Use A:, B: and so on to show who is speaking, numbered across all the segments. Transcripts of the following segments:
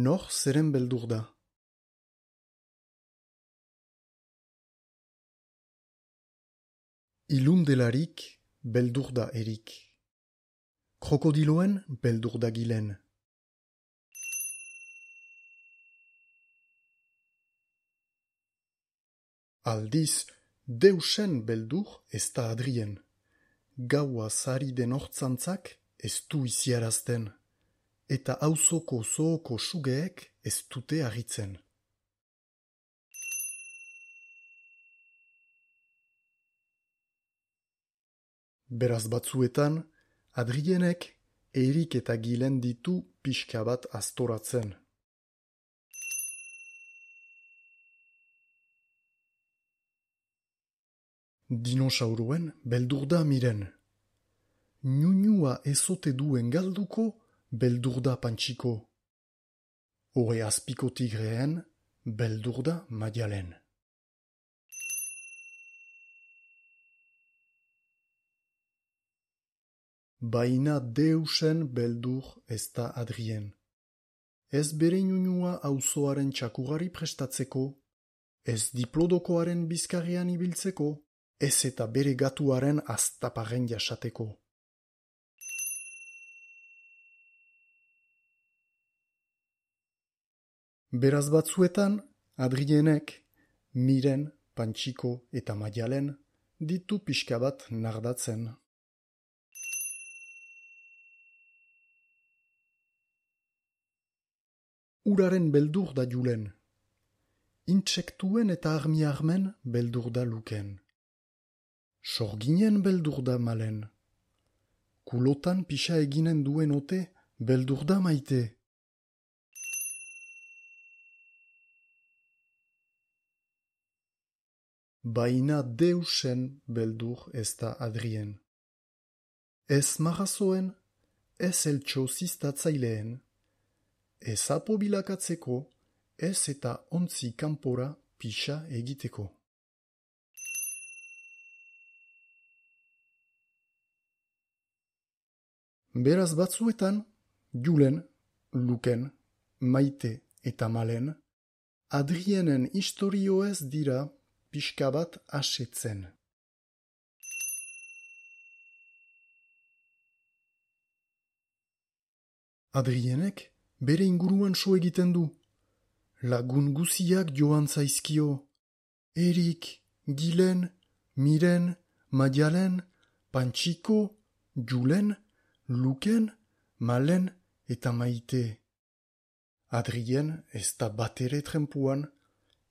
A: Nor zeren beldur da? Ilun delarik beldur da erik. Krokodiloen beldur da gilen. Aldiz, deusen beldur ez da adrien. Gaua zari den hortzantzak ez du iziarazten. Eta auzoko zooko sugeek ez dute agitzen. Beraz batzuetan, Adrienek erik eta gilen ditu pixka bat astoratzen. Dinosauruen beldur da miren. Nunua ezote duen galduko beldur da pantxiko. Hore azpiko tigreen beldur da madialen. Baina deusen beldur ez da Adrien. Ez bere nunua auzoaren txakurari prestatzeko, ez diplodokoaren bizkarrean ibiltzeko, ez eta bere gatuaren aztaparen jasateko. Beraz batzuetan, Adrienek, miren, pantxiko eta madialen ditu pixka bat nardatzen. Uraren beldur da julen. Intsektuen eta armi-armen beldur da luken. Sorginen beldur da malen. Kulotan pixa eginen duen ote beldur da maite. Baina deusen beldur ez da Adrien. Ez marrazoen, ez eltxo ziztatzaileen, ez apo bilakatzeko, ez eta ontzi kanpora pixa egiteko. Beraz batzuetan, julen, luken, maite eta malen, Adrienen istorioez dira pixka bat asetzen. Adrienek bere inguruan so egiten du. Lagun guziak joan zaizkio. Erik, gilen, miren, madialen, pantxiko, julen, luken, malen eta maite. Adrien ez da batere trempuan,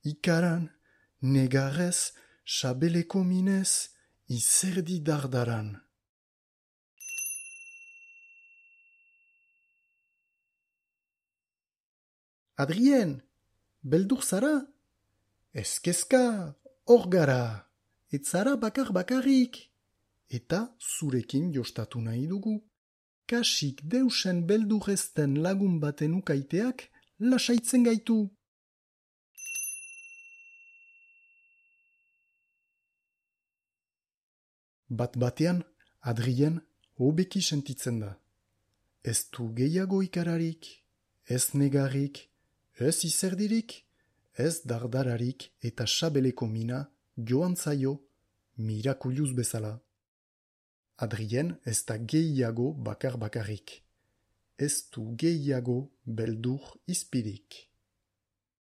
A: ikaran, negarrez, sabeleko minez, izerdi dardaran. Adrien, beldur zara? Ez kezka, hor gara, ez zara bakarrik. Eta zurekin jostatu nahi dugu. Kasik deusen beldur ezten lagun baten ukaiteak lasaitzen gaitu. Bat-batean, Adrien hobeki sentitzen da. Ez du gehiago ikararik, ez negarrik, ez izerdirik, ez dardararik eta sabeleko mina joan zaio mirakuluz bezala. Adrien ez da gehiago bakarrik. Ez du gehiago beldur izpirik.